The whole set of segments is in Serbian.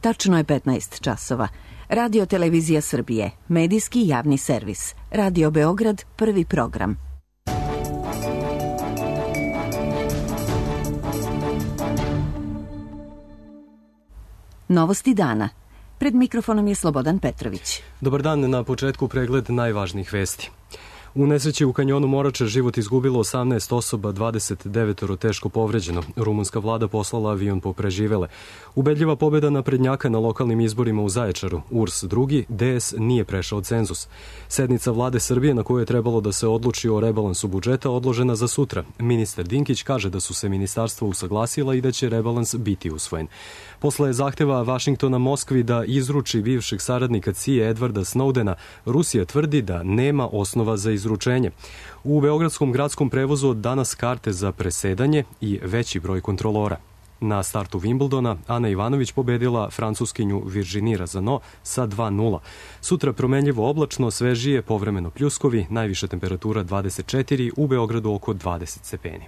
Tačno je 15 časova. Radio Televizija Srbije, medijski javni servis. Radio Beograd, prvi program. Novosti dana. Pred mikrofonom je Slobodan Petrović. Dobar dan, na početku pregled najvažnijih vesti. U nesreći u kanjonu Morače život izgubilo 18 osoba, 29 teško povređeno. Rumunska vlada poslala avion po preživele. Ubedljiva pobjeda naprednjaka na lokalnim izborima u Zaječaru. URS drugi, DS nije prešao cenzus. Sednica vlade Srbije na kojoj je trebalo da se odluči o rebalansu budžeta odložena za sutra. Ministar Dinkić kaže da su se ministarstva usaglasila i da će rebalans biti usvojen. Posle zahteva Vašingtona Moskvi da izruči bivšeg saradnika CIA Edwarda Snowdena, Rusija tvrdi da nema osnova za izručenje. U beogradskom gradskom prevozu od danas karte za presedanje i veći broj kontrolora. Na startu Wimbledona Ana Ivanović pobedila francuskinju Virginie Razano sa 2:0. Sutra promenljivo oblačno, svežije, povremeno pljuskovi, najviša temperatura 24, u Beogradu oko 20 stepeni.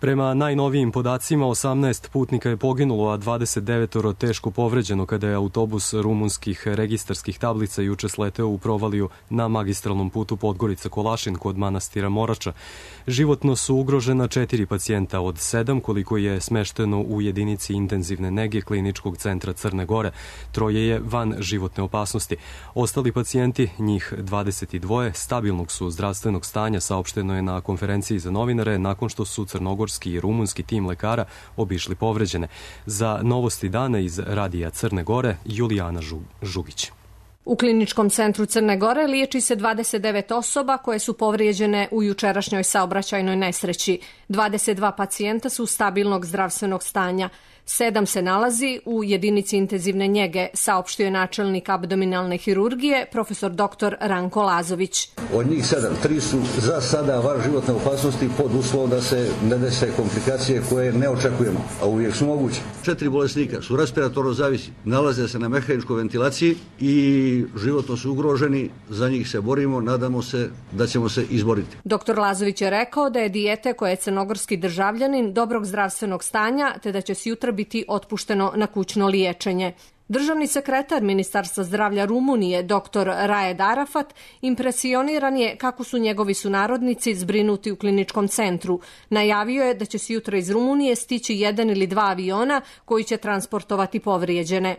Prema najnovijim podacima, 18 putnika je poginulo, a 29 teško povređeno kada je autobus rumunskih registarskih tablica juče sleteo u provaliju na magistralnom putu Podgorica-Kolašin kod manastira Morača. Životno su ugrožena 4 pacijenta od 7, koliko je smešteno u jedinici intenzivne nege Kliničkog centra Crne Gore. 3 je van životne opasnosti. Ostali pacijenti, njih 22, stabilnog su zdravstvenog stanja, saopšteno je na konferenciji za novinare nakon što su crnogorski i rumunski tim lekara obišli povređene. Za novosti dana iz Radija Crne Gore, Julijana Žugić. U Kliničkom centru Crne Gore liječi se 29 osoba koje su povrijeđene u jučerašnjoj saobraćajnoj nesreći. 22 pacijenta su stabilnog zdravstvenog stanja. 7 se nalazi u jedinici intenzivne njege, saopštio je načelnik abdominalne hirurgije, profesor dr. Ranko Lazović. Od njih 7, 3 su za sada van životne opasnosti pod uslovom da se ne dese komplikacije koje ne očekujemo, a uvijek su moguće. 4 bolesnika su respiratorno zavisi, nalaze se na mehaničkoj ventilaciji i životno su ugroženi, za njih se borimo, nadamo se da ćemo se izboriti. Dr. Lazović je rekao da je dijete koje je crnogorski državljanin dobrog zdravstvenog stanja, te da će se jutra biti otpušteno na kućno liječenje. Državni sekretar Ministarstva zdravlja Rumunije, dr. Raed Arafat, impresioniran je kako su njegovi sunarodnici zbrinuti u kliničkom centru. Najavio je da će se jutra iz Rumunije stići 1 ili 2 aviona koji će transportovati povrijeđene.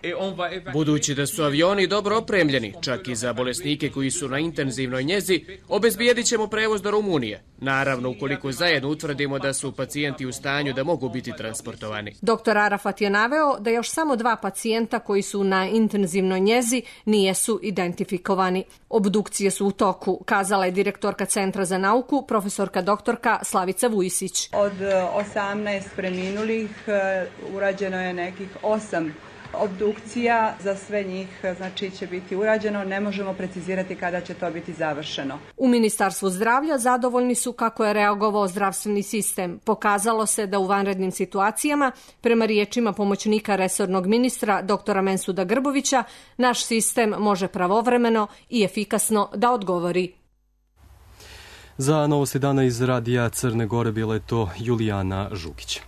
Budući da su avioni dobro opremljeni, čak i za bolesnike koji su na intenzivnoj njezi, obezbijedit ćemo prevoz do Rumunije. Naravno, ukoliko zajedno utvrdimo da su pacijenti u stanju da mogu biti transportovani. Dr. Arafat je naveo da još samo 2 pacijenta koji su na intenzivnoj njezi nijesu identifikovani. Obdukcije su u toku, kazala je direktorka Centra za nauku, profesorka doktorka Slavica Vujisić. Od 18 preminulih urađeno je nekih 8 obdukcija, za sve njih znači će biti urađeno, ne možemo precizirati kada će to biti završeno. U Ministarstvu zdravlja zadovoljni su kako je reagovao zdravstveni sistem. Pokazalo se da u vanrednim situacijama, prema riječima pomoćnika resornog ministra dr. Mensuda Grbovića, naš sistem može pravovremeno i efikasno da odgovori. Za novosti dana iz Radija Crne Gore bila je to Julijana Žugić.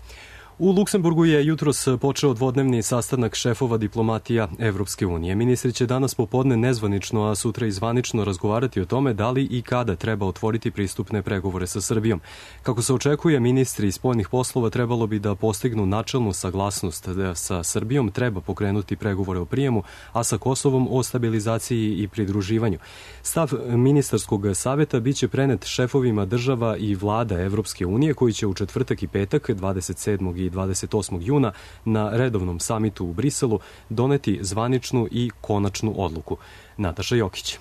U Luksemburgu je jutros počeo dvodnevni sastanak šefova diplomatija Evropske unije. Ministri će danas popodne nezvanično, a sutra i zvanično razgovarati o tome da li i kada treba otvoriti pristupne pregovore sa Srbijom. Kako se očekuje, ministri spoljnih poslova trebalo bi da postignu načelnu saglasnost da sa Srbijom treba pokrenuti pregovore o prijemu, a sa Kosovom o stabilizaciji i pridruživanju. Stav ministarskog saveta biće prenet šefovima država i vlada Evropske unije koji će u četvrtak i petak 27. i 28. juna na redovnom samitu u Briselu doneti zvaničnu i konačnu odluku. Nataša Jokić.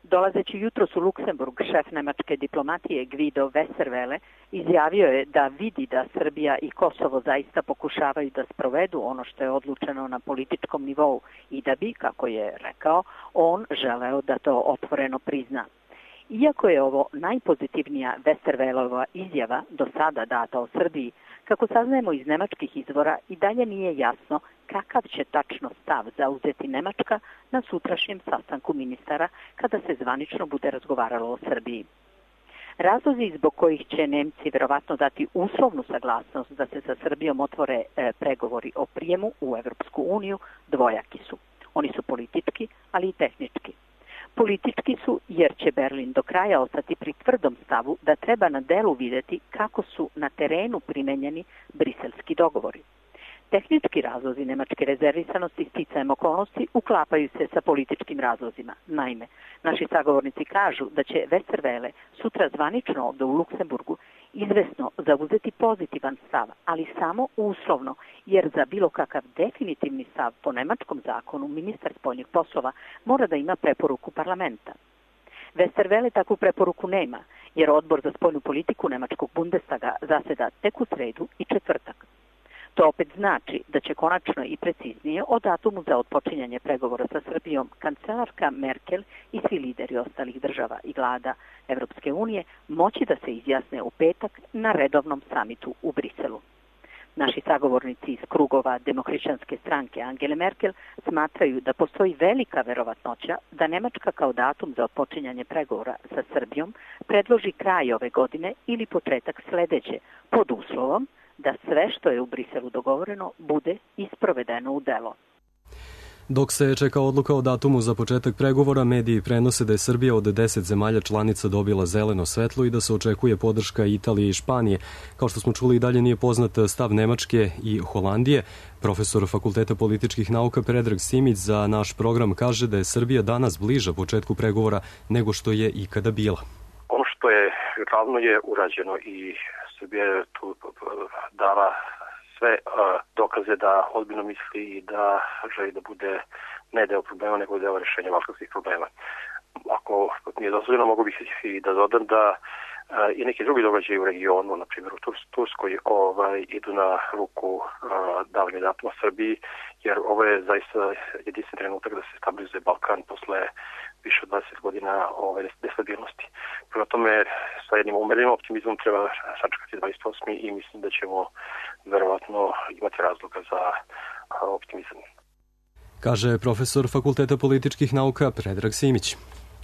Dolazeći jutros u Luksemburg, šef nemačke diplomatije Guido Westerwelle izjavio je da vidi da Srbija i Kosovo zaista pokušavaju da sprovedu ono što je odlučeno na političkom nivou i da bi, kako je rekao, on želeo da to otvoreno prizna. Iako je ovo najpozitivnija Westerwellova izjava do sada data o Srbiji, kako saznajemo iz nemačkih izvora, i dalje nije jasno kakav će tačno stav zauzeti Nemačka na sutrašnjem sastanku ministara kada se zvanično bude razgovaralo o Srbiji. Razlozi zbog kojih će Nemci verovatno dati uslovnu saglasnost da se sa Srbijom otvore pregovori o prijemu u Evropsku uniju dvojaki su. Oni su politički, ali i tehnički. Politički su jer će Berlin do kraja ostati pri tvrdom stavu da treba na delu videti kako su na terenu primenjeni briselski dogovori. Tehnički razlozi nemačke rezervisanosti sticajem okolnosti uklapaju se sa političkim razlozima. Naime, naši sagovornici kažu da će Westerwelle sutra zvanično ovde u Luksemburgu izvesno zauzeti pozitivan stav, ali samo uslovno, jer za bilo kakav definitivni stav po nemačkom zakonu ministar spoljnih poslova mora da ima preporuku parlamenta. Westerwelle takvu preporuku nema, jer odbor za spoljnu politiku nemačkog Bundestaga zaseda tek u sredu i četvrtak. To opet znači da će konačno i preciznije o datumu za otpočinjanje pregovora sa Srbijom kancelarka Merkel i svi lideri ostalih država i vlada Evropske unije moći da se izjasne u petak na redovnom samitu u Briselu. Naši sagovornici iz krugova Demohrišćanske stranke Angele Merkel smatraju da postoji velika verovatnoća da Nemačka kao datum za otpočinjanje pregovora sa Srbijom predloži kraj ove godine ili početak sledeće, pod uslovom da sve što je u Briselu dogovoreno bude isprovedeno u delo. Dok se čeka odluka o datumu za početak pregovora, mediji prenose da je Srbija od 10 zemalja članica dobila zeleno svetlo i da se očekuje podrška Italije i Španije. Kao što smo čuli, i dalje nije poznat stav Nemačke i Holandije. Profesor Fakulteta političkih nauka Predrag Simić za naš program kaže da je Srbija danas bliža početku pregovora nego što je ikada bila. Ono što je ravno je urađeno i Srbija je tu dala sve dokaze da ozbiljno misli i da želi da bude ne deo problema, nego deo rešenja balkanskih problema. Ako mi je dozvoljeno, mogu bih i da dodam da i neki drugi događaji u regionu, na primjer u Turskoj, idu na ruku davanja datuma Srbiji, jer ovo je zaista jedinstven trenutak da se stabilizuje Balkan posle više od 20 godina nestabilnosti. Prema tome, sa jednim umerenim optimizmom treba sačekati 28. i mislim da ćemo verovatno imati razloga za optimizam. Kaže profesor Fakulteta političkih nauka Predrag Simić.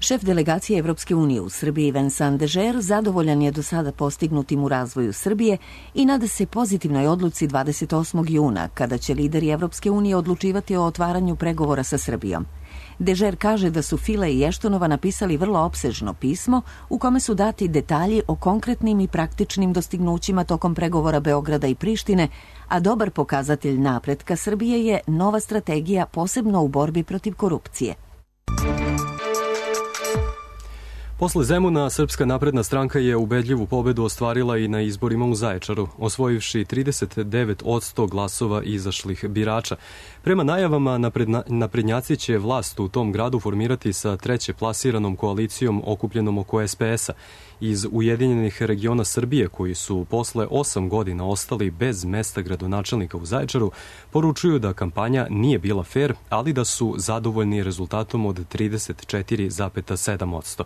Šef delegacije Evropske unije u Srbiji Vincent Dežer zadovoljan je do sada postignutim u razvoju Srbije i nada se pozitivnoj odluci 28. juna, kada će lideri Evropske unije odlučivati o otvaranju pregovora sa Srbijom. Dežer kaže da su File i Eštonova napisali vrlo opsežno pismo u kome su dati detalji o konkretnim i praktičnim dostignućima tokom pregovora Beograda i Prištine, a dobar pokazatelj napretka Srbije je nova strategija posebno u borbi protiv korupcije. Posle Zemuna, Srpska napredna stranka je ubedljivu pobedu ostvarila i na izborima u Zaječaru, osvojivši 39% glasova izašlih birača. Prema najavama, naprednjaci će vlast u tom gradu formirati sa treće plasiranom koalicijom okupljenom oko SPS-a. Iz Ujedinjenih regiona Srbije, koji su posle 8 godina ostali bez mesta gradonačelnika u Zaječaru, poručuju da kampanja nije bila fer, ali da su zadovoljni rezultatom od 34,7%.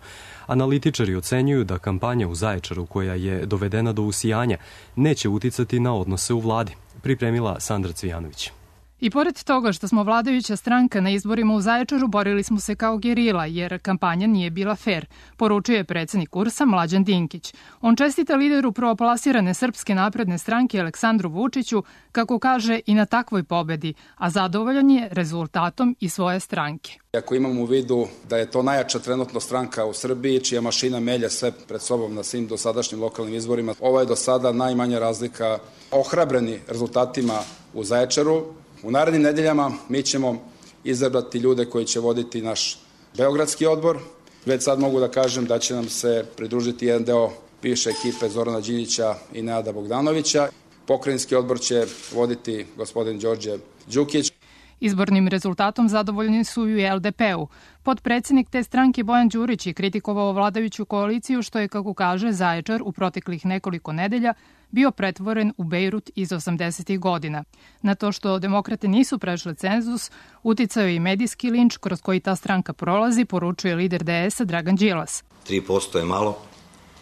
Analitičari ocenjuju da kampanja u Zaječaru, koja je dovedena do usijanja, neće uticati na odnose u vladi. Pripremila Sandra Cvijanović. I pored toga što smo vladajuća stranka na izborima u Zaječaru, borili smo se kao gerila, jer kampanja nije bila fer, poručuje predsednik URS-a Mlađan Dinkić. On čestita lideru prvoplasirane Srpske napredne stranke Aleksandru Vučiću, kako kaže, i na takvoj pobedi, a zadovoljan je rezultatom i svoje stranke. Ako imamo u vidu da je to najjača trenutno stranka u Srbiji, čija mašina melje sve pred sobom na svim dosadašnjim lokalnim izborima, ovo je do sada najmanja razlika. Ohrabreni rezultatima u Zaječaru, u narednim nedeljama mi ćemo izabrati ljude koji će voditi naš beogradski odbor. Već sad mogu da kažem da će nam se pridružiti jedan deo bivše ekipe Zorana Đinđića i Nenada Bogdanovića. Pokrajinski odbor će voditi gospodin Đorđe Đukić. Izbornim rezultatom zadovoljni su i u LDP-u. Potpredsednik te stranke Bojan Đurić je kritikovao vladajuću koaliciju što je, kako kaže, Zaječar u proteklih nekoliko nedelja bio pretvoren u Bejrut iz 80. godina. Na to što demokrate nisu prešle cenzus, uticao je i medijski linč kroz koji ta stranka prolazi, poručuje lider DS-a Dragan Đilas. 3% je malo,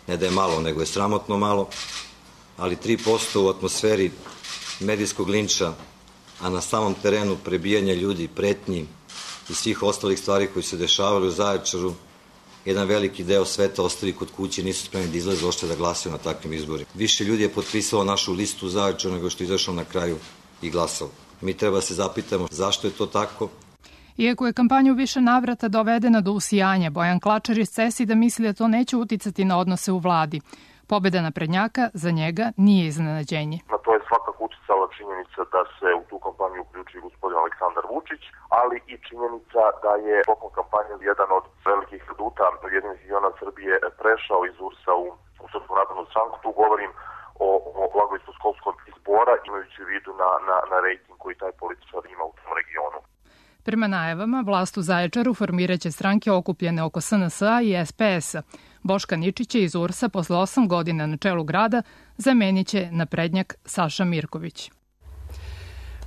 ne da je malo, nego je sramotno malo, ali 3% u atmosferi medijskog linča, a na samom terenu prebijanja ljudi, pretnji i svih ostalih stvari koji se dešavali u Zaječaru, jedan veliki deo sveta ostali kod kuće, nisu spremni da izlaze uopšte da glasaju na takvim izborima. Više ljudi je potpisalo našu listu Zaječara nego što je izašlo na kraju i glasalo. Mi treba da se zapitamo zašto je to tako. Iako je kampanja u više navrata dovedena do usijanja, Bojan Klačar iz CESID-a misli da to neće uticati na odnose u vladi. Pobeda naprednjaka za njega nije iznenađenje. Na to je svakako uticala činjenica da se u tu kampanju uključi gospodin Aleksandar Vučić, ali i činjenica da je tokom kampanje jedan od velikih aduta Ujedinjenih regiona Srbije prešao iz URS-a u Srpsku naprednu stranku. Tu govorim o Blagoistoškolskom izbora, imajući u vidu na rejting koji taj političar ima u tom regionu. Prema najavama, vlast u Zaječaru formiraće stranke okupljene oko SNS-a i SPS-a. Boška Ničića iz URS-a posle 8 godina na čelu grada zamenit će naprednjak Saša Mirković.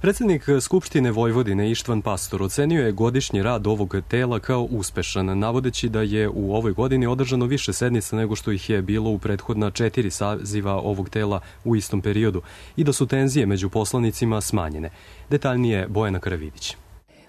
Predsednik Skupštine Vojvodine Ištvan Pastor ocenio je godišnji rad ovog tela kao uspešan, navodeći da je u ovoj godini održano više sednica nego što ih je bilo u prethodna 4 saziva ovog tela u istom periodu i da su tenzije među poslanicima smanjene. Detaljnije Bojana Karavidić.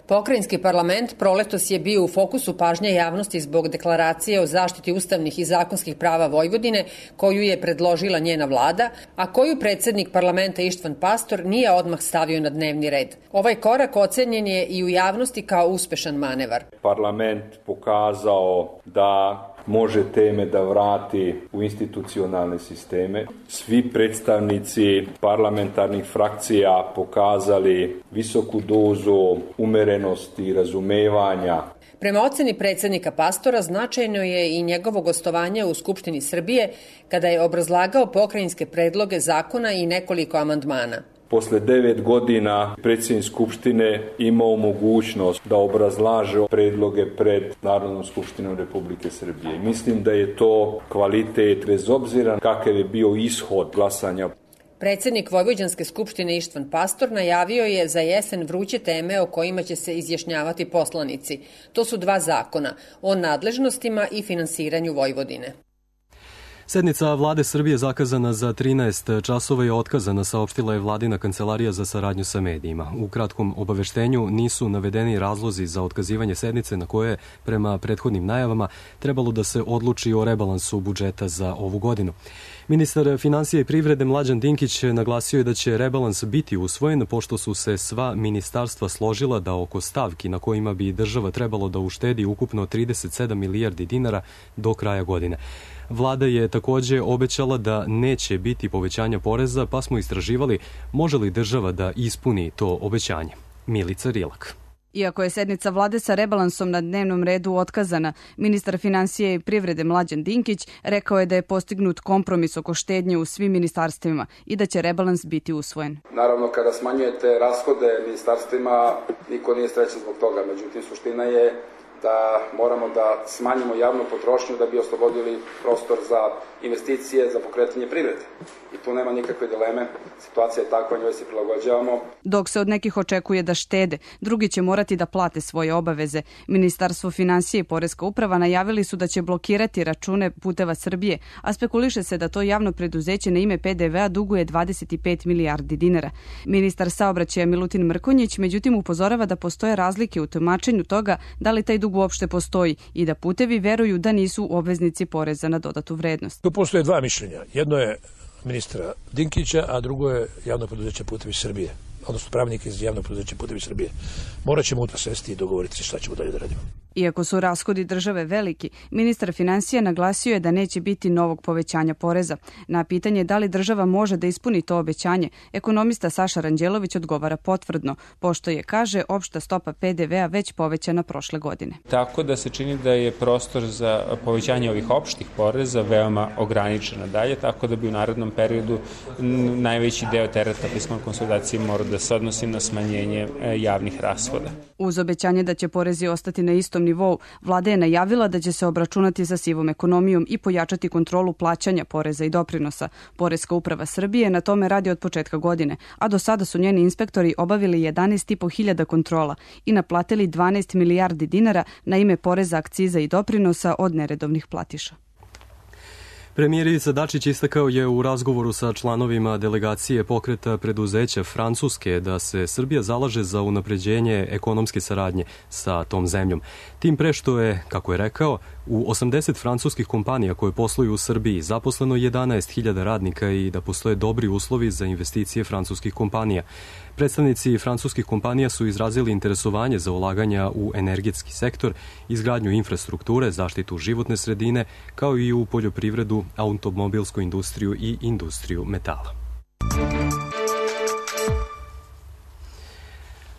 Pokrajinski parlament proletos je bio u fokusu pažnje javnosti zbog deklaracije o zaštiti ustavnih i zakonskih prava Vojvodine koju je predložila njena vlada, a koju predsednik parlamenta Ištvan Pastor nije odmah stavio na dnevni red. Ovaj korak ocenjen je i u javnosti kao uspešan manevar. Parlament pokazao da može teme da vrati u institucionalne sisteme. Svi predstavnici parlamentarnih frakcija pokazali visoku dozu umerenosti i razumevanja. Prema oceni predsednika Pastora, značajno je i njegovo gostovanje u Skupštini Srbije kada je obrazlagao pokrajinske predloge zakona i nekoliko amandmana. Posle 9 godina predsjednik Skupštine imao mogućnost da obrazlaže predloge pred Narodnom skupštinom Republike Srbije. Mislim da je to kvalitet bez obzira kakav je bio ishod glasanja. Predsednik Vojvođanske skupštine Ištvan Pastor najavio je za jesen vruće teme o kojima će se izjašnjavati poslanici. To su 2 zakona o nadležnostima i finansiranju Vojvodine. Sednica Vlade Srbije zakazana za 13 časova je otkazana, saopštila je Vladina kancelarija za saradnju sa medijima. U kratkom obaveštenju nisu navedeni razlozi za otkazivanje sednice na koje, prema prethodnim najavama, trebalo da se odluči o rebalansu budžeta za ovu godinu. Ministar finansija i privrede Mlađan Dinkić naglasio je da će rebalans biti usvojen pošto su se sva ministarstva složila da oko stavki na kojima bi država trebalo da uštedi ukupno 37 milijardi dinara do kraja godine. Vlada je takođe obećala da neće biti povećanja poreza, pa smo istraživali može li država da ispuni to obećanje. Milica Rilak. Iako je sednica vlade sa rebalansom na dnevnom redu otkazana, ministar finansije i privrede Mlađan Dinkić rekao je da je postignut kompromis oko štednje u svim ministarstvima i da će rebalans biti usvojen. Naravno, kada smanjujete rashode ministarstvima, niko nije srećan zbog toga. Međutim, suština je da moramo da smanjimo javnu potrošnju da bi oslobodili prostor za investicije, za pokretanje privrede. I tu nema nikakve dileme. Situacija je takva, njoj se prilagođavamo. Dok se od nekih očekuje da štede, drugi će morati da plate svoje obaveze. Ministarstvo finansije i Poreska uprava najavili su da će blokirati račune Puteva Srbije, a spekuliše se da to javno preduzeće na ime PDV-a duguje 25 milijardi dinara. Ministar saobraćaja Milutin Mrkonjić međutim upozorava da postoje razlike u tumačenju toga da li taj dug uopšte postoji i da putevi veruju da nisu obveznici poreza na dodatu vrednost. Tu postoje 2 mišljenja. Jedno je ministra Dinkića, a drugo je javno preduzeće Putevi Srbije, odnosno pravnik iz javnog preduzeća Putevi Srbije. Morat ćemo to sesti i dogovoriti šta ćemo dalje da radimo. Iako su rashodi države veliki, ministar finansija naglasio je da neće biti novog povećanja poreza. Na pitanje da li država može da ispuni to obećanje, ekonomista Saša Ranđelović odgovara potvrdno, pošto je, kaže, opšta stopa PDV-a već povećana prošle godine. Tako da se čini da je prostor za povećanje ovih opštih poreza veoma ograničena dalje, tako da bi u narednom periodu najveći deo tereta fiskalne konsolidacije morao da se odnosi na smanjenje javnih rashoda. Uz obećanje da će porezi ostati na istom nivou, vlada je najavila da će se obračunati sa sivom ekonomijom i pojačati kontrolu plaćanja poreza i doprinosa. Poreska uprava Srbije na tome radi od početka godine, a do sada su njeni inspektori obavili 11.500 kontrola i naplatili 12 milijardi dinara na ime poreza, akciza i doprinosa od neredovnih platiša. Premijer Ivica Dačić istakao je u razgovoru sa članovima delegacije pokreta preduzeća Francuske da se Srbija zalaže za unapređenje ekonomske saradnje sa tom zemljom. Tim pre što je, kako je rekao, u 80 francuskih kompanija koje posluju u Srbiji zaposleno 11.000 radnika i da postoje dobri uslovi za investicije francuskih kompanija. Predstavnici francuskih kompanija su izrazili interesovanje za ulaganja u energetski sektor, izgradnju infrastrukture, zaštitu životne sredine, kao i u poljoprivredu, automobilsku industriju i industriju metala.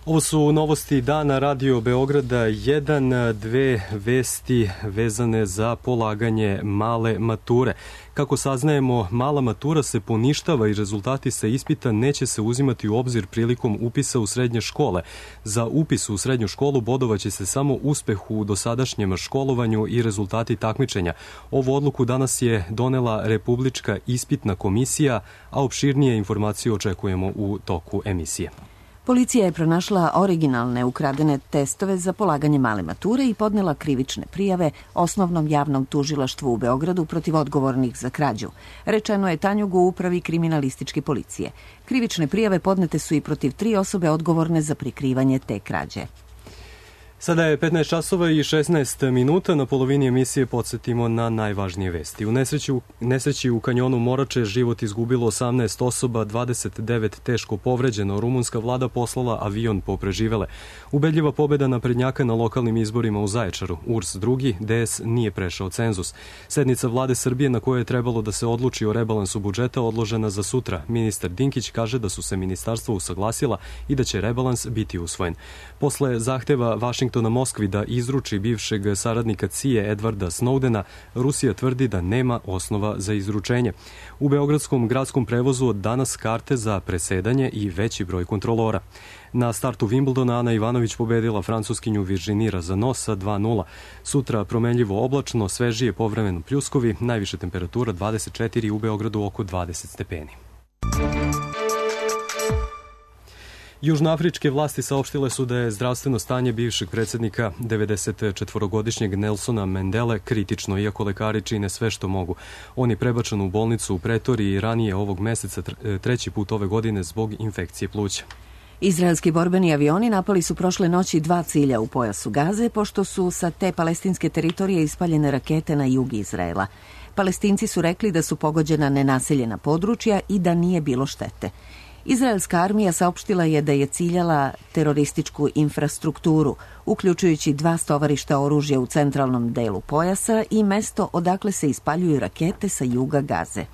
Ovo su novosti dana Radio Beograda 1, 2 vesti vezane za polaganje male mature. Kako saznajemo, mala matura se poništava i rezultati sa ispita neće se uzimati u obzir prilikom upisa u srednje škole. Za upis u srednju školu bodovaće se samo uspeh u dosadašnjem školovanju i rezultati takmičenja. Ovu odluku danas je donela Republička ispitna komisija, a opširnije informacije očekujemo u toku emisije. Policija je pronašla originalne ukradene testove za polaganje male mature i podnela krivične prijave Osnovnom javnom tužilaštvu u Beogradu protiv odgovornih za krađu. Rečeno je Tanjugu u upravi kriminalističke policije. Krivične prijave podnete su i protiv 3 osobe odgovorne za prikrivanje te krađe. Sada je 15 časova i 16 minuta. Na polovini emisije podsjetimo na najvažnije vesti. U nesreći u kanjonu Morače život izgubilo 18 osoba, 29 teško povređeno. Rumunska vlada poslala avion po preživele. Ubedljiva pobeda naprednjaka na lokalnim izborima u Zaječaru. URS drugi, DS nije prešao cenzus. Sednica vlade Srbije na kojoj je trebalo da se odluči o rebalansu budžeta odložena za sutra. Ministar Dinkić kaže da su se ministarstva usaglasila i da će rebalans biti usvojen. Posle zahteva Vašingtona Moskvi da izruči bivšeg saradnika CIA Edwarda Snowdena, Rusija tvrdi da nema osnova za izručenje. U beogradskom gradskom prevozu od danas karte za presedanje i veći broj kontrolora. Na startu Wimbledona Ana Ivanović pobedila francuskinju Virginie Razzano sa 2:0. Sutra promenljivo oblačno, svežije povremeno pljuskovi, najviše temperatura 24, u Beogradu oko 20 stepeni. Južnoafričke vlasti saopštile su da je zdravstveno stanje bivšeg predsjednika 94-godišnjeg Nelsona Mandele kritično, iako lekari čine sve što mogu. On je prebačen u bolnicu u Pretoriji i ranije ovog meseca 3. put ove godine zbog infekcije pluća. Izraelski borbeni avioni napali su prošle noći 2 cilja u pojasu Gaze, pošto su sa te palestinske teritorije ispaljene rakete na jug Izraela. Palestinci su rekli da su pogođena nenaseljena područja i da nije bilo štete. Izraelska armija saopštila je da je ciljala terorističku infrastrukturu, uključujući 2 stovarišta oružja u centralnom delu pojasa i mesto odakle se ispaljuju rakete sa juga Gaze.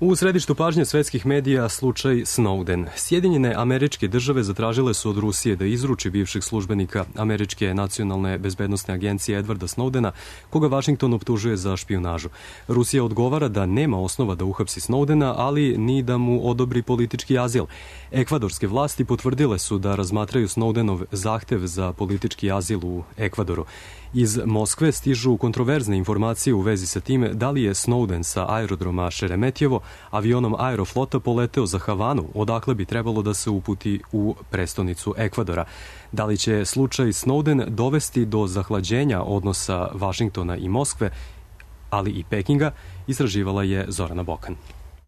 U središtu pažnje svetskih medija slučaj Snowden. Sjedinjene Američke države zatražile su od Rusije da izruči bivšeg službenika Američke nacionalne bezbednosne agencije Edwarda Snowdena, koga Vašington optužuje za špijunažu. Rusija odgovara da nema osnova da uhapsi Snowdena, ali ni da mu odobri politički azil. Ekvadorske vlasti potvrdile su da razmatraju Snowdenov zahtev za politički azil u Ekvadoru. Iz Moskve stižu kontroverzne informacije u vezi sa time da li je Snowden sa aerodroma Šeremetjevo avionom Aeroflota poleteo za Havanu, odakle bi trebalo da se uputi u prestonicu Ekvadora. Da li će slučaj Snowden dovesti do zahlađenja odnosa Vašingtona i Moskve, ali i Pekinga, istraživala je Zorana Bokan.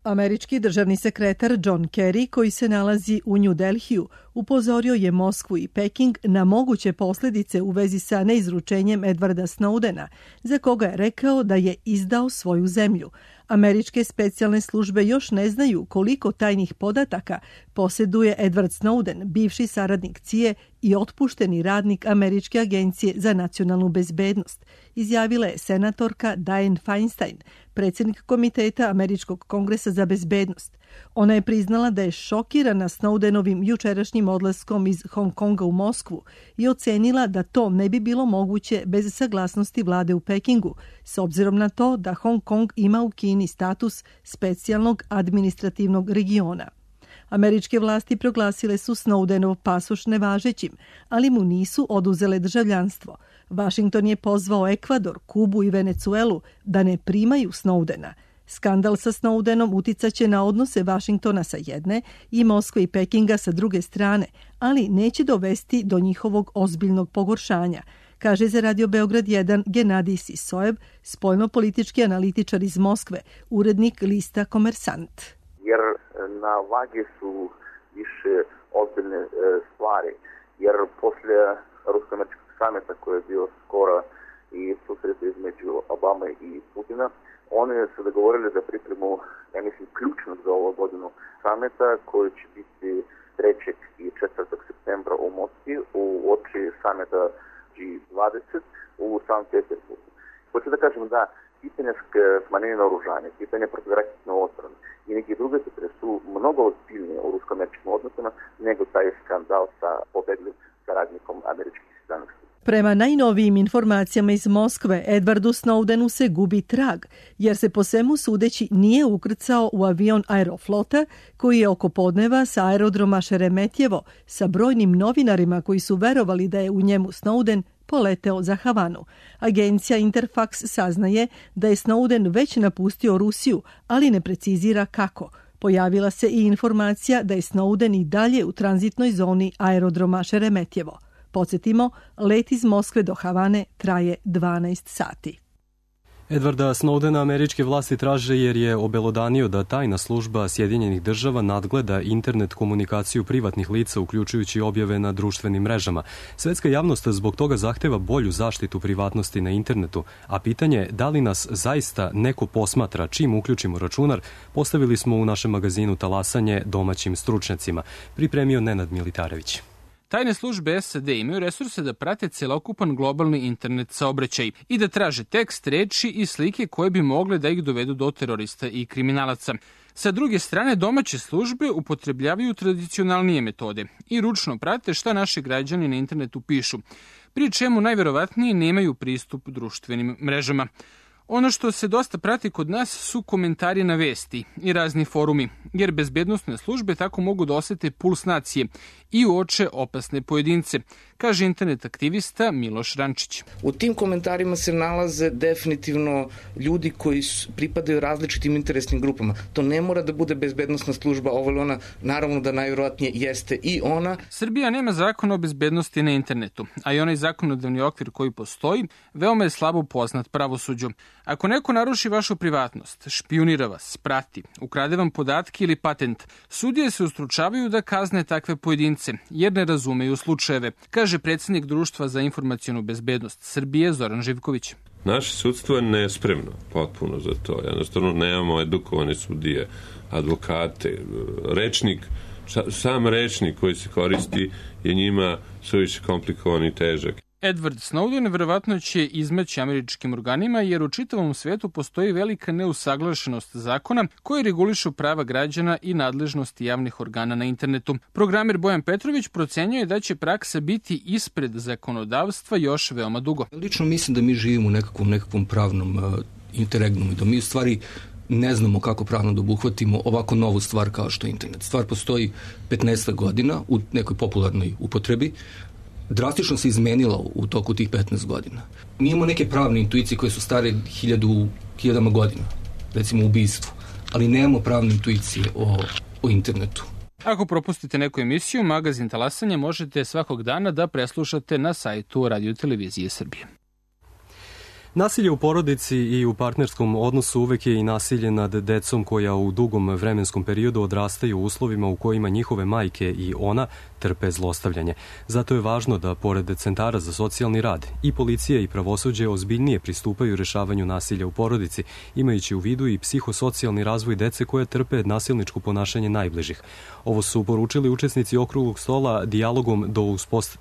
Američki državni sekretar John Kerry, koji se nalazi u New Delhiju, upozorio je Moskvu i Peking na moguće posljedice u vezi sa neizručenjem Edwarda Snowdena, za koga je rekao da je izdao svoju zemlju. Američke specijalne službe još ne znaju koliko tajnih podataka posjeduje Edward Snowden, bivši saradnik CIA i otpušteni radnik Američke agencije za nacionalnu bezbednost, izjavila je senatorka Dianne Feinstein, predsjednik Komiteta Američkog kongresa za bezbednost. Ona je priznala da je šokirana Snowdenovim jučerašnjim odlaskom iz Hong Konga u Moskvu i ocenila da to ne bi bilo moguće bez saglasnosti vlade u Pekingu, s obzirom na to da Hong Kong ima u Kini status specijalnog administrativnog regiona. Američke vlasti proglasile su Snowdenov pasoš nevažećim, ali mu nisu oduzele državljanstvo. Washington je pozvao Ekvador, Kubu i Venecuelu da ne primaju Snowdena. Skandal sa Snowdenom uticaće na odnose Vašingtona sa jedne i Moskve i Pekinga sa druge strane, ali neće dovesti do njihovog ozbiljnog pogoršanja, kaže za Radio Beograd 1 Genadij Sisojev, spoljno-politički analitičar iz Moskve, urednik lista Komersant. Jer na vagi su više ozbiljne stvari, jer poslije rusko-američkog samita koji je bio skoro i susret između Obama i Putina, oni su dogovorili da pripremu, ja mislim, ključno za ovu godinu samita koji će biti 3. i 4. septembra u Moskvi u oči samita G20 u Sankt Petersburgu. Hoću da kažem da pitanje smanjenja naoružanja, pitanje protivraketne odbrane i neki druge pitanje su mnogo ozbiljnije u rusko-američkim odnosima nego taj skandal sa pobeglim saradnikom američkih znanosti. Prema najnovijim informacijama iz Moskve, Edwardu Snowdenu se gubi trag, jer se po svemu sudeći nije ukrcao u avion Aeroflota, koji je oko podneva sa aerodroma Šeremetjevo sa brojnim novinarima koji su verovali da je u njemu Snowden poleteo za Havanu. Agencija Interfax saznaje da je Snowden već napustio Rusiju, ali ne precizira kako. Pojavila se i informacija da je Snowden i dalje u tranzitnoj zoni aerodroma Šeremetjevo. Podsjetimo, let iz Moskve do Havane traje 12 sati. Edwarda Snowdena američke vlasti traže jer je obelodanio da tajna služba Sjedinjenih država nadgleda internet komunikaciju privatnih lica, uključujući objave na društvenim mrežama. Svetska javnost zbog toga zahteva bolju zaštitu privatnosti na internetu, a pitanje da li nas zaista neko posmatra čim uključimo računar, postavili smo u našem magazinu Talasanje domaćim stručnjacima. Pripremio Nenad Militarević. Tajne službe SAD imaju resurse da prate celokupan globalni internet saobraćaj i da traže tekst, reči i slike koje bi mogle da ih dovedu do terorista i kriminalaca. Sa druge strane, domaće službe upotrebljavaju tradicionalnije metode i ručno prate šta naši građani na internetu pišu, pri čemu najverovatnije nemaju pristup društvenim mrežama. Ono što se dosta prati kod nas su komentari na vesti i razni forumi, jer bezbednosne službe tako mogu da osete puls nacije i uoče opasne pojedince, kaže internet aktivista Miloš Rančić. U tim komentarima se nalaze definitivno ljudi koji pripadaju različitim interesnim grupama. To ne mora da bude bezbednosna služba, ovo ili ona, naravno da najverovatnije jeste i ona. Srbija nema zakon o bezbednosti na internetu, a i onaj zakonodavni okvir koji postoji veoma je slabo poznat pravosuđu. Ako neko naruši vašu privatnost, špijunira vas, prati, ukrade vam podatke ili patent, sudije se ustručavaju da kazne takve pojedince, jer ne razumeju slučajeve, kaže predsjednik Društva za informacionu bezbednost Srbije Zoran Živković. Naše sudstvo je nespremno potpuno za to. Jednostavno nemamo edukovane sudije, advokate, rečnik, sam rečnik koji se koristi je njima suviše komplikovan i težak. Edward Snowden verovatno će izmaći američkim organima jer u čitavom svetu postoji velika neusaglašenost zakona koji regulišu prava građana i nadležnosti javnih organa na internetu. Programer Bojan Petrović procenjuje da će praksa biti ispred zakonodavstva još veoma dugo. Lično mislim da mi živimo u nekakvom pravnom interregnumu i da mi u stvari ne znamo kako pravno da obuhvatimo ovako novu stvar kao što je internet. Stvar postoji 15 godina u nekoj popularnoj upotrebi. Drastično se izmenila u toku tih 15 godina. Mi imamo neke pravne intuicije koje su stare hiljadama godina, recimo ubistvu, ali nemamo pravne intuicije o internetu. Ako propustite neku emisiju, magazin Talasanje možete svakog dana da preslušate na sajtu Radio Televizije Srbije. Nasilje u porodici i u partnerskom odnosu uvek je i nasilje nad decom koja u dugom vremenskom periodu odrastaju u uslovima u kojima njihove majke i ona trpe zlostavljanje. Zato je važno da, pored centara za socijalni rad, i policija i pravosuđe ozbiljnije pristupaju rešavanju nasilja u porodici, imajući u vidu i psihosocijalni razvoj dece koje trpe nasilničko ponašanje najbližih. Ovo su poručili učesnici okruglog stola dijalogom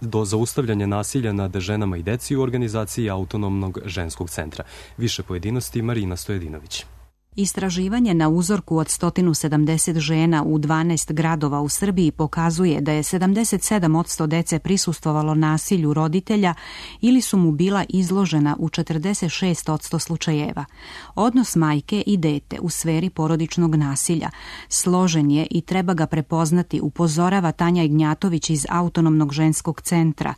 do zaustavljanja nasilja nad ženama i deci u organizaciji Autonomnog ženskog centra. Više pojedinosti Marina Stojedinović. Istraživanje na uzorku od 170 žena u 12 gradova u Srbiji pokazuje da je 77% dece prisustvovalo nasilju roditelja ili su mu bila izložena u 46% slučajeva. Odnos majke i dete u sferi porodičnog nasilja složen je i treba ga prepoznati, upozorava Tanja Ignjatović iz Autonomnog ženskog centra.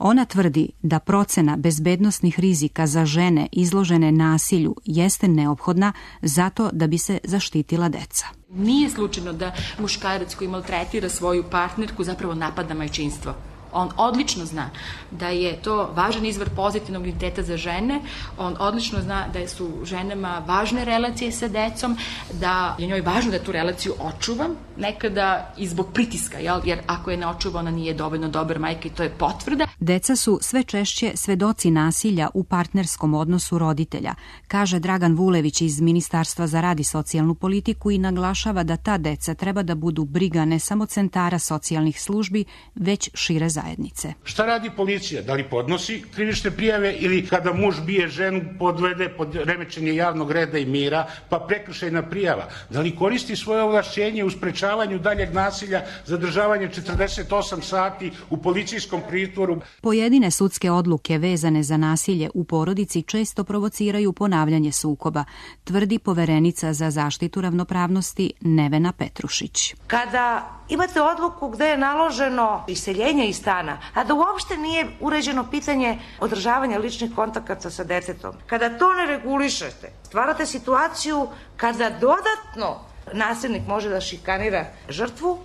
Ona tvrdi da procena bezbednosnih rizika za žene izložene nasilju jeste neophodna zato da bi se zaštitila deca. Nije slučajno da muškarac koji maltretira svoju partnerku zapravo napada majčinstvo. On odlično zna da je to važan izvor pozitivnog identiteta za žene, on odlično zna da su ženama važne relacije sa decom, da je njoj važno da tu relaciju očuva, nekada i zbog pritiska, jer ako je ne očuva, ona nije dovoljno dobar majka i to je potvrda. Deca su sve češće svedoci nasilja u partnerskom odnosu roditelja, kaže Dragan Vulević iz Ministarstva za rad i socijalnu politiku i naglašava da ta deca treba da budu briga ne samo centara socijalnih službi, već šire zajednice. Šta radi policija? Da li podnosi krivične prijave ili kada muž bije ženu podvede pod remećenje javnog reda i mira, pa prekršajna prijava? Da li koristi svoje ovlašćenje u sprečavanju daljeg nasilja, zadržavanje 48 sati u policijskom pritvoru? Pojedine sudske odluke vezane za nasilje u porodici često provociraju ponavljanje sukoba, tvrdi poverenica za zaštitu ravnopravnosti Nevena Petrušić. Kada imate odluku gde je naloženo iseljenje iz stana, a da uopšte nije uređeno pitanje održavanja ličnih kontakata sa detetom, kada to ne regulišete, stvarate situaciju kada dodatno nasilnik može da šikanira žrtvu,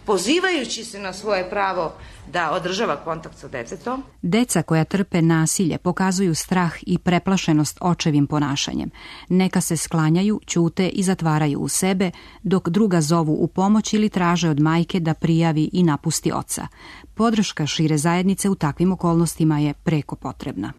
pozivajući se na svoje pravo da održava kontakt sa detetom. Deca koja trpe nasilje pokazuju strah i preplašenost očevim ponašanjem. Neka se sklanjaju, ćute i zatvaraju u sebe, dok druga zovu u pomoć ili traže od majke da prijavi i napusti oca. Podrška šire zajednice u takvim okolnostima je preko potrebna.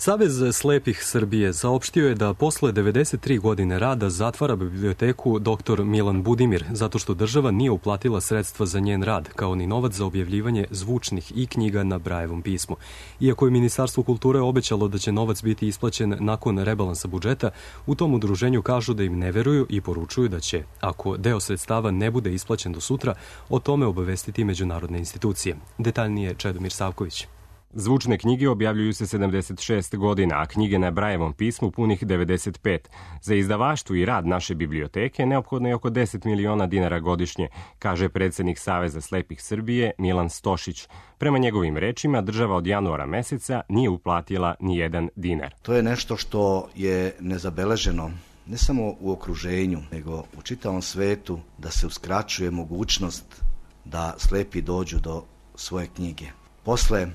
Savez slepih Srbije saopštio je da posle 93 godine rada zatvara biblioteku dr. Milan Budimir zato što država nije uplatila sredstva za njen rad, kao ni novac za objavljivanje zvučnih i knjiga na Brajevom pismu. Iako je Ministarstvo kulture obećalo da će novac biti isplaćen nakon rebalansa budžeta, u tom udruženju kažu da im ne veruju i poručuju da će, ako deo sredstava ne bude isplaćen do sutra, o tome obavestiti međunarodne institucije. Detaljnije Čedomir Savković. Zvučne knjige objavljuju se 76 godina, a knjige na Brajevom pismu punih 95. Za izdavaštvo i rad naše biblioteke neophodno je oko 10 miliona dinara godišnje, kaže predsednik Saveza slepih Srbije Milan Stošić. Prema njegovim rečima, država od januara meseca nije uplatila ni jedan dinar. To je nešto što je nezabeleženo ne samo u okruženju, nego u čitavom svetu, da se uskraćuje mogućnost da slepi dođu do svoje knjige. Posle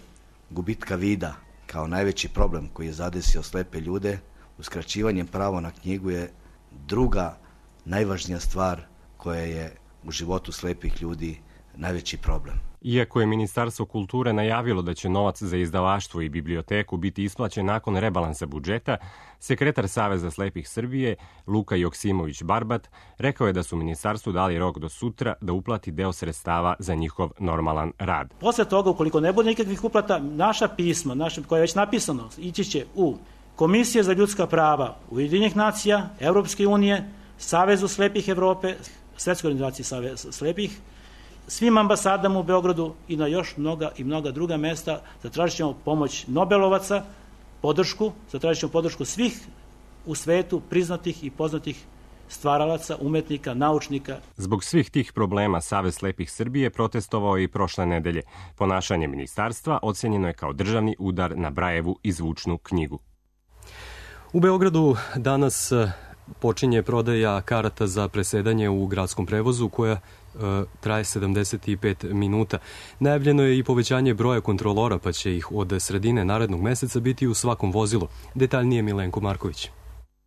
gubitka vida kao najveći problem koji je zadesio slepe ljude, uskraćivanjem prava na knjigu je druga najvažnija stvar koja je u životu slepih ljudi najveći problem. Iako je Ministarstvo kulture najavilo da će novac za izdavaštvo i biblioteku biti isplaćen nakon rebalansa budžeta, sekretar Saveza slepih Srbije, Luka Joksimović-Barbat, rekao je da su ministarstvu dali rok do sutra da uplati deo sredstava za njihov normalan rad. Posle toga, ukoliko ne bude nikakvih uplata, naša pisma, koje je već napisano, ići će u Komisije za ljudska prava Ujedinjenih nacija, Evropske unije, Savezu slepih Evrope, Svetskoj organizaciji Saveza slepih, svim ambasadama u Beogradu i na još mnoga druga mesta. Zatražit ćemo pomoć Nobelovaca, zatražit ćemo podršku svih u svetu priznatih i poznatih stvaralaca, umetnika, naučnika. Zbog svih tih problema Savez slepih Srbije protestovao i prošle nedelje. Ponašanje ministarstva ocenjeno je kao državni udar na Brajevu i zvučnu knjigu. U Beogradu danas počinje prodaja karata za presedanje u gradskom prevozu koja traje 75 minuta. Najavljeno je i povećanje broja kontrolora, pa će ih od sredine narednog meseca biti u svakom vozilu. Detaljnije Milenko Marković.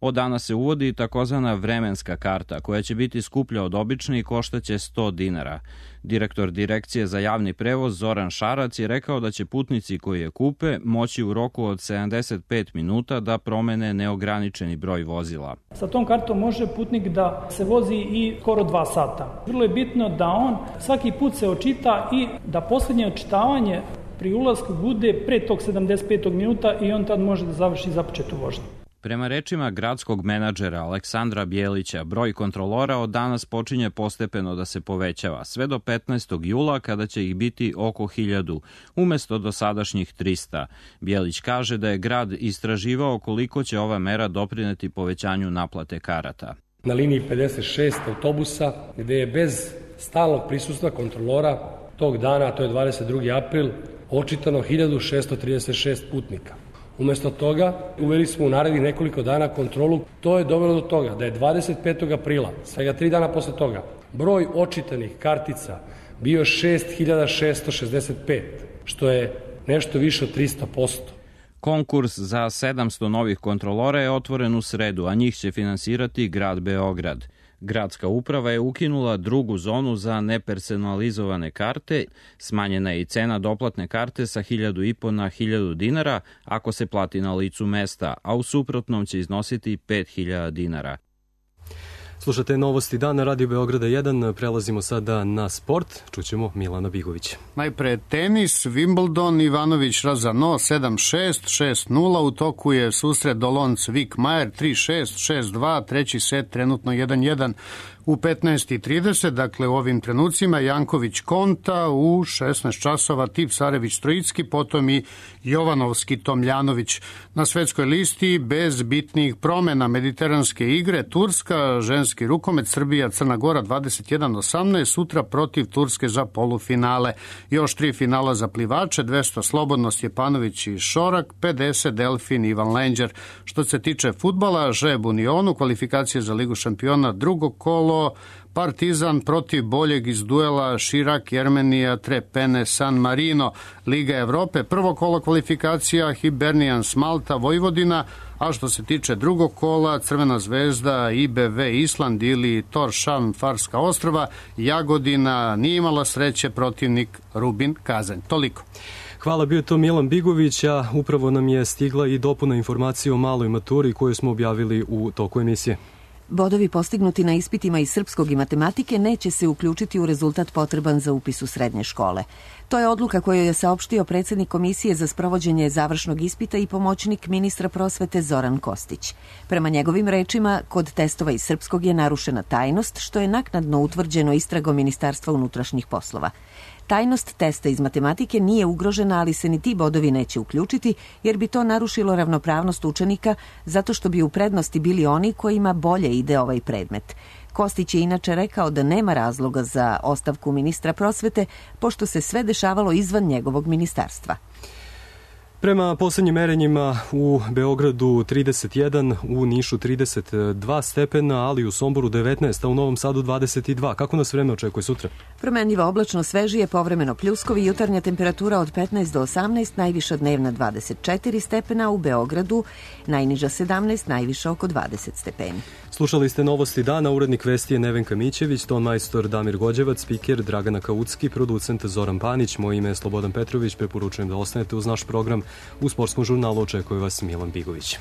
Od danas se uvodi takozvana vremenska karta, koja će biti skuplja od obične i koštaće 100 dinara. Direktor Direkcije za javni prevoz Zoran Šarac je rekao da će putnici koji je kupe moći u roku od 75 minuta da promene neograničeni broj vozila. Sa tom kartom može putnik da se vozi i skoro 2 sata. Vrlo je bitno da on svaki put se očita i da poslednje očitavanje pri ulasku bude pre tog 75 minuta i on tad može da završi započetu vožnju. Prema rečima gradskog menadžera Aleksandra Bjelića, broj kontrolora od danas počinje postepeno da se povećava, sve do 15. jula kada će ih biti oko 1000, umesto dosadašnjih 300. Bjelić kaže da je grad istraživao koliko će ova mera doprineti povećanju naplate karata. Na liniji 56 autobusa, gde je bez stalnog prisustva kontrolora tog dana, to je 22. april, očitano 1636 putnika. Umesto toga, uveli smo u narednih nekoliko dana kontrolu. To je dovelo do toga da je 25. aprila, svega 3 dana posle toga, broj očitanih kartica bio 6.665, što je nešto više od 300%. Konkurs za 700 novih kontrolora je otvoren u sredu, a njih će finansirati grad Beograd. Gradska uprava je ukinula drugu zonu za nepersonalizovane karte, smanjena je i cena doplatne karte sa 1.500 na 1.000 dinara ako se plati na licu mesta, a u suprotnom će iznositi 5.000 dinara. Slušate Novosti dana, Radio Beograda 1, prelazimo sada na sport, čućemo Milana Bigovića. Najpre tenis, Wimbledon, Ivanović Razano 7-6, 6-0, u toku je susret Dolonc Vikmajer 3-6, 6-2, treći set trenutno 1-1. U 15.30, dakle u ovim trenucima, Janković Konta, u 16 časova Tipsarević Trojicki, potom i Jovanovski Tomljanović. Na svetskoj listi bez bitnih promena mediteranske igre, Turska, ženski rukomet, Srbija, Crna Gora 21-18, sutra protiv Turske za polufinale. Još 3 finala za plivače, 200 Slobodno, Stjepanović i Šorak, 50 Delfin, Ivan Lenđer. Što se tiče fudbala, Žeb Unionu, kvalifikacije za Ligu šampiona, drugo kolo, Partizan protiv boljeg iz duela Širak, Jermenija, Trepene, San Marino. Liga Evrope, prvo kolo kvalifikacija, Hibernians Malta, Vojvodina, a što se tiče drugog kola, Crvena zvezda, IBV Island ili Tórshavn Farska ostrva, Jagodina nije imala sreće, protivnik Rubin Kazanj. Toliko. Hvala, bio to Milan Bigović, a upravo nam je stigla i dopuna informacije o maloj maturi koju smo objavili u toku emisije. Bodovi postignuti na ispitima iz srpskog i matematike neće se uključiti u rezultat potreban za upis u srednje škole. To je odluka koju je saopštio predsjednik Komisije za sprovođenje završnog ispita i pomoćnik ministra prosvete Zoran Kostić. Prema njegovim rečima, kod testova iz srpskog je narušena tajnost, što je naknadno utvrđeno istragom Ministarstva unutrašnjih poslova. Tajnost testa iz matematike nije ugrožena, ali se ni ti bodovi neće uključiti, jer bi to narušilo ravnopravnost učenika, zato što bi u prednosti bili oni kojima bolje ide ovaj predmet. Kostić je inače rekao da nema razloga za ostavku ministra prosvete, pošto se sve dešavalo izvan njegovog ministarstva. Prema poslednjim merenjima u Beogradu 31, u Nišu 32 stepena, ali u Somboru 19, a u Novom Sadu 22. Kako nas vreme očekuje sutra? Promenljivo oblačno, svežije, povremeno pljuskovi, jutarnja temperatura od 15 do 18, najviša dnevna 24 stepena, u Beogradu najniža 17, najviša oko 20 stepeni. Slušali ste Novosti dana, urednik vesti je Nevenka Mićević, ton majstor Damir Gođevac, spiker Dragana Kaucki, producent Zoran Panić, moje ime je Slobodan Petrović, preporučujem da ostanete uz naš program. U sportskom žurnalu očekuje vas Milan Bigović.